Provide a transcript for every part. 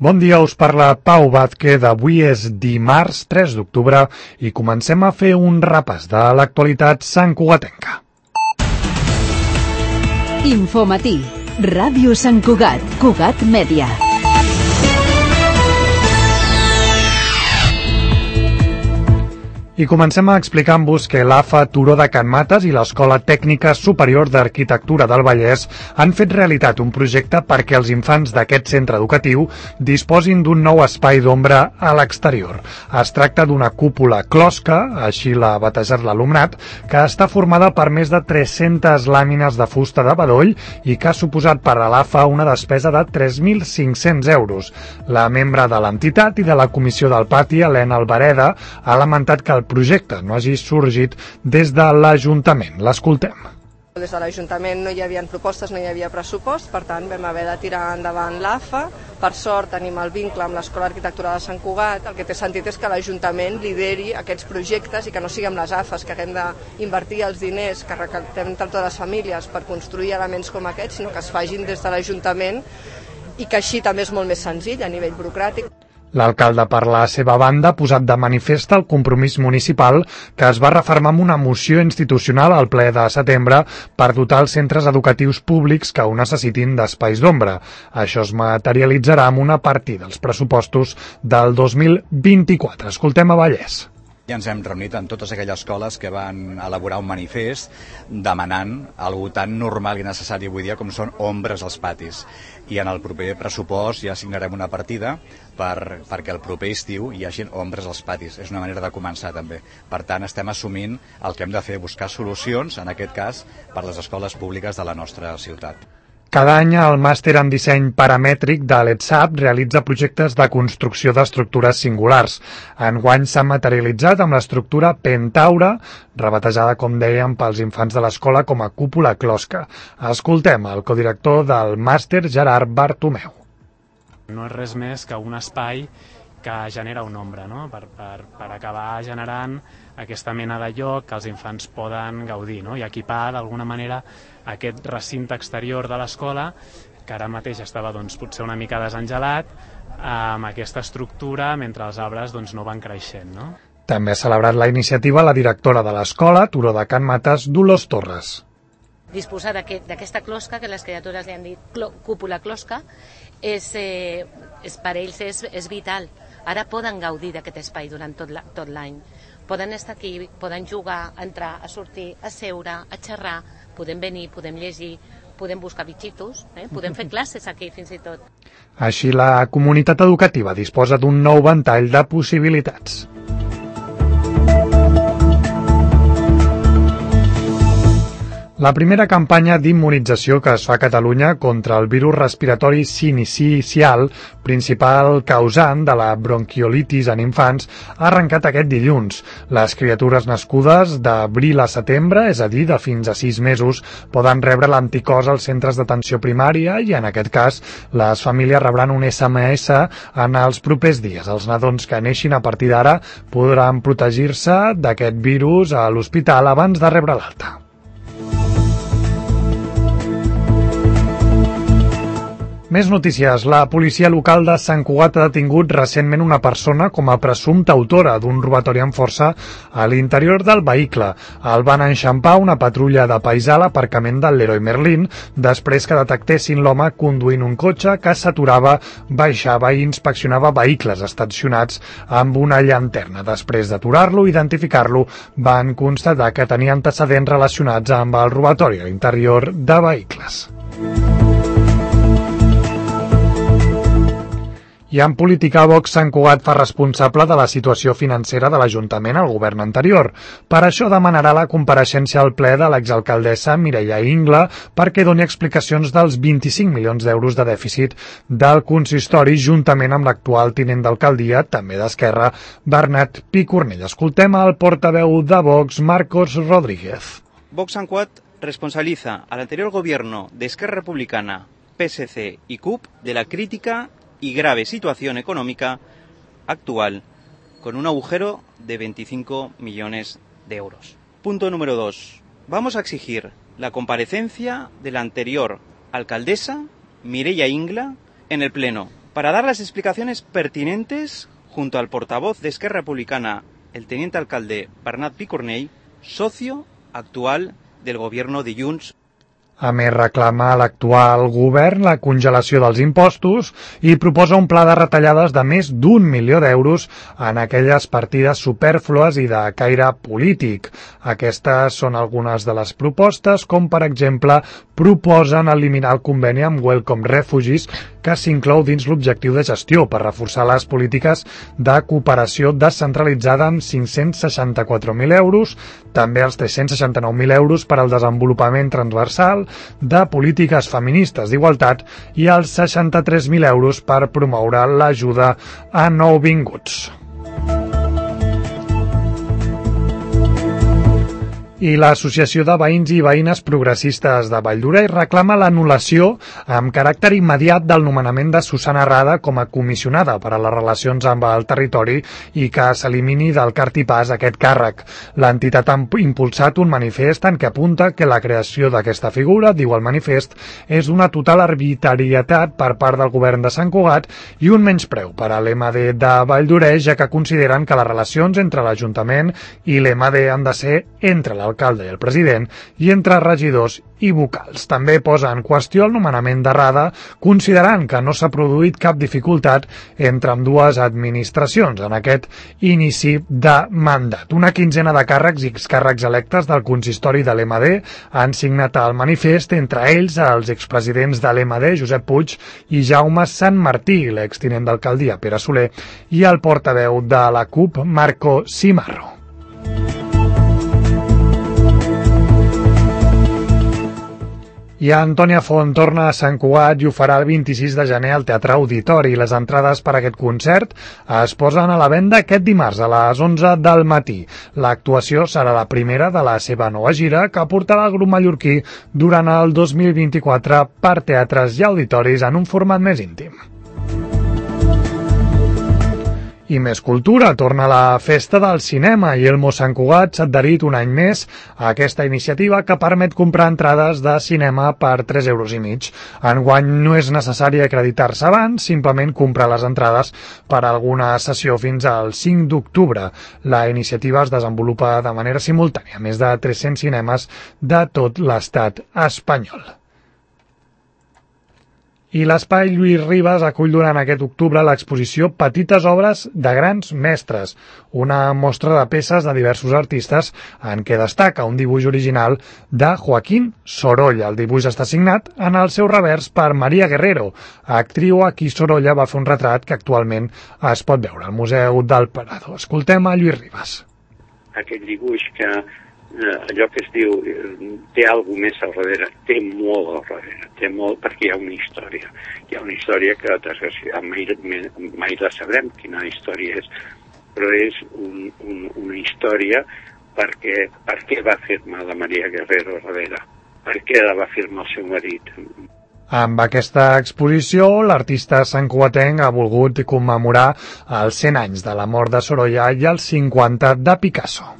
Bon dia, us parla Pau Vázquez. Avui és dimarts 3 d'octubre i comencem a fer un repàs de l'actualitat santcugatenca. Infomatí, Ràdio Sant Cugat, Cugat Mèdia. I comencem explicant-vos que l'AFA Turó de Can Mates i l'Escola Tècnica Superior d'Arquitectura del Vallès han fet realitat un projecte perquè els infants d'aquest centre educatiu disposin d'un nou espai d'ombra a l'exterior. Es tracta d'una cúpula closca, així l'ha batejat l'alumnat, que està formada per més de 300 làmines de fusta de bedoll i que ha suposat per a l'AFA una despesa de 3.500 euros. La membre de l'entitat i de la comissió del pati, Helena Albareda, ha lamentat que el projecte no hagi sorgit des de l'Ajuntament. L'escoltem. Des de l'Ajuntament no hi havia propostes, no hi havia pressupost, per tant vam haver de tirar endavant l'AFA. Per sort tenim el vincle amb l'Escola d'Arquitectura de Sant Cugat. El que té sentit és que l'Ajuntament lideri aquests projectes i que no siguem les AFAs que haguem d'invertir els diners que recaptem entre totes les famílies per construir elements com aquests, sinó que es facin des de l'Ajuntament i que així també és molt més senzill a nivell burocràtic. L'alcalde, per la seva banda, ha posat de manifest el compromís municipal que es va refermar amb una moció institucional al ple de setembre per dotar els centres educatius públics que ho necessitin d'espais d'ombra. Això es materialitzarà amb una partida dels pressupostos del 2024. Escoltem a Vallès. Ja ens hem reunit amb totes aquelles escoles que van elaborar un manifest demanant algo tan normal i necessari avui dia com són ombres als patis. I en el proper pressupost ja assignarem una partida perquè el proper estiu hi hagi ombres als patis. És una manera de començar també. Per tant, estem assumint el que hem de fer, buscar solucions, en aquest cas, per les escoles públiques de la nostra ciutat. Cada any el màster en disseny paramètric de l'ETSAP realitza projectes de construcció d'estructures singulars. Enguany s'ha materialitzat amb l'estructura Pentaure, rebatejada, com dèiem, pels infants de l'escola com a cúpula closca. Escoltem el codirector del màster, Gerard Bartomeu. No és res més que un espai que genera una ombra, no? per acabar generant aquesta mena de lloc que els infants poden gaudir, no? I equipar d'alguna manera aquest recinte exterior de l'escola, que ara mateix estava potser una mica desengelat, amb aquesta estructura mentre els arbres no van creixent. No? També ha celebrat la iniciativa la directora de l'escola, Turó de Can Mates, Dolors Torres. Disposar d'aquesta closca, que les criatures li han dit cúpula closca, per ells és vital. Ara poden gaudir d'aquest espai durant tot l'any. Poden estar aquí, poden jugar, entrar, a sortir, a seure, a xerrar, podem venir, podem llegir, podem buscar bitxitos, podem fer classes aquí fins i tot. Així la comunitat educativa disposa d'un nou ventall de possibilitats. La primera campanya d'immunització que es fa a Catalunya contra el virus respiratori sincicial, principal causant de la bronquiolitis en infants, ha arrencat aquest dilluns. Les criatures nascudes d'abril a setembre, és a dir, de fins a 6 mesos, poden rebre l'anticòs als centres d'atenció primària i, en aquest cas, les famílies rebran un SMS en els propers dies. Els nadons que neixin a partir d'ara podran protegir-se d'aquest virus a l'hospital abans de rebre l'alta. Més notícies. La policia local de Sant Cugat ha detingut recentment una persona com a presumpta autora d'un robatori amb força a l'interior del vehicle. El van enxampar una patrulla de paisà a l'aparcament del Leroy Merlin després que detectessin l'home conduint un cotxe que s'aturava, baixava i inspeccionava vehicles estacionats amb una llanterna. Després d'aturar-lo i identificar-lo, van constatar que tenia antecedents relacionats amb el robatori a l'interior de vehicles. I en política, Vox Sant Cugat fa responsable de la situació financera de l'Ajuntament al govern anterior. Per això demanarà la compareixença al ple de l'exalcaldessa Mireia Ingla perquè doni explicacions dels 25 milions d'euros de dèficit del consistori juntament amb l'actual tinent d'alcaldia, també d'Esquerra, Bernat Picornell. Escoltem al portaveu de Vox, Marcos Rodríguez. Vox Sant Cugat responsabiliza al anterior gobierno de Esquerra Republicana, PSC y CUP de la crítica y grave situación económica actual, con un agujero de 25 millones de euros. Punto número 2. Vamos a exigir la comparecencia de la anterior alcaldesa, Mireia Ingla, en el Pleno, para dar las explicaciones pertinentes junto al portavoz de Esquerra Republicana, el teniente alcalde Bernat Picornell, socio actual del gobierno de Junts. A més, reclama a l'actual govern la congelació dels impostos i proposa un pla de retallades de més d'1 milió d'euros en aquelles partides supèrflues i de caire polític. Aquestes són algunes de les propostes, com per exemple proposen eliminar el conveni amb Welcome Refugees, que s'inclou dins l'objectiu de gestió per reforçar les polítiques de cooperació descentralitzada amb 564.000 euros, també els 369.000 euros per al desenvolupament transversal, de polítiques feministes d'igualtat i els 63.000 euros per promoure l'ajuda a nouvinguts. I l'Associació de Veïns i Veïnes Progressistes de Valldoreix reclama l'anul·lació amb caràcter immediat del nomenament de Susana Rada com a comissionada per a les relacions amb el territori i que s'elimini del cartipàs aquest càrrec. L'entitat ha impulsat un manifest en què apunta que la creació d'aquesta figura, diu el manifest, és una total arbitrarietat per part del govern de Sant Cugat i un menyspreu per a l'MD de Valldoreix, ja que consideren que les relacions entre l'Ajuntament i l'MD han de ser entre l'alcalde i el president i entre regidors i vocals. També posa en qüestió el nomenament de Rada, considerant que no s'ha produït cap dificultat entre ambdues administracions en aquest inici de mandat. Una quinzena de càrrecs i excàrrecs electes del consistori de l'MD han signat el manifest, entre ells els expresidents de l'MD, Josep Puig i Jaume Sant Martí, l'extinent d'alcaldia Pere Soler, i el portaveu de la CUP, Marco Cimarro. I Antònia Font torna a Sant Cugat i ho farà el 26 de gener al Teatre Auditori. Les entrades per a aquest concert es posen a la venda aquest dimarts a les 11 del matí. L'actuació serà la primera de la seva nova gira que portarà el grup mallorquí durant el 2024 per teatres i auditoris en un format més íntim. I més cultura, torna la Festa del Cinema i Elmo Sant Cugat s'ha adherit un any més a aquesta iniciativa que permet comprar entrades de cinema per 3,5 euros. Enguany no és necessari acreditar-se abans, simplement comprar les entrades per a alguna sessió fins al 5 d'octubre. La iniciativa es desenvolupa de manera simultània a més de 300 cinemes de tot l'estat espanyol. I l'Espai Lluís Ribas acull durant aquest octubre l'exposició Petites obres de grans mestres, una mostra de peces de diversos artistes en què destaca un dibuix original de Joaquín Sorolla. El dibuix està signat en el seu revers per Maria Guerrero, actriu a qui Sorolla va fer un retrat que actualment es pot veure al Museu del Prado. Escoltem a Lluís Ribas. Aquest dibuix que allò que es diu té alguna més al darrere, té molt al darrere, té molt perquè hi ha una història. Hi ha una història que desgraciadament mai la sabrem quina història és, però és una història per què va firmar la Maria Guerrero darrere, per què la va firmar el seu marit. Amb aquesta exposició, l'artista santcugatenc ha volgut commemorar els 100 anys de la mort de Sorolla i els 50 de Picasso.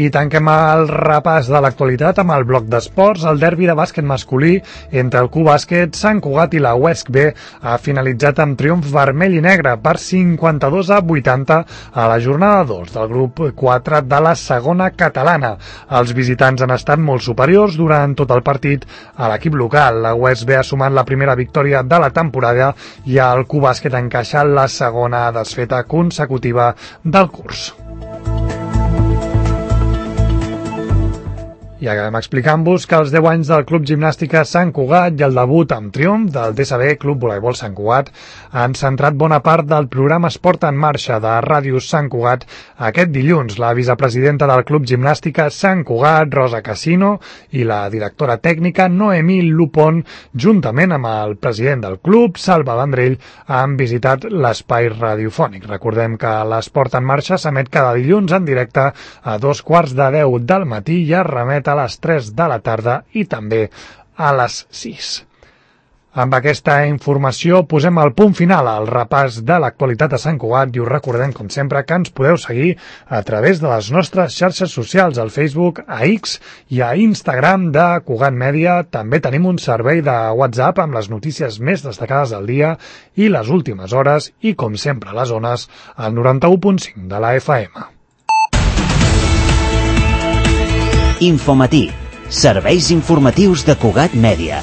I tanquem el repàs de l'actualitat amb el bloc d'esports. El derbi de bàsquet masculí entre el Q-Bàsquet, Sant Cugat i la UESC B ha finalitzat amb triomf vermell i negre per 52-80 a la jornada 2 del grup 4 de la segona catalana. Els visitants han estat molt superiors durant tot el partit a l'equip local. La UESC B ha sumat la primera victòria de la temporada i el Q-Bàsquet ha encaixat la segona desfeta consecutiva del curs. I acabem explicant-vos que els 10 anys del Club Gimnàstica Sant Cugat i el debut amb triomf del DSB Club Voleibol Sant Cugat han centrat bona part del programa Esport en Marxa de Ràdio Sant Cugat aquest dilluns. La vicepresidenta del Club Gimnàstica Sant Cugat, Rosa Casino, i la directora tècnica Noemí Lupon, juntament amb el president del club, Salva Vendrell, han visitat l'espai radiofònic. Recordem que l'Esport en Marxa s'emet cada dilluns en directe a 2:15 del matí i es remet a les 3 de la tarda i també a les 6. Amb aquesta informació posem el punt final al repàs de l'actualitat a Sant Cugat i us recordem, com sempre, que ens podeu seguir a través de les nostres xarxes socials, al Facebook, a X i a Instagram de Cugat Mèdia. També tenim un servei de WhatsApp amb les notícies més destacades del dia i les últimes hores i, com sempre, les zones al 91.5 de la FM. Infomatí. Serveis informatius de Cugat Mèdia.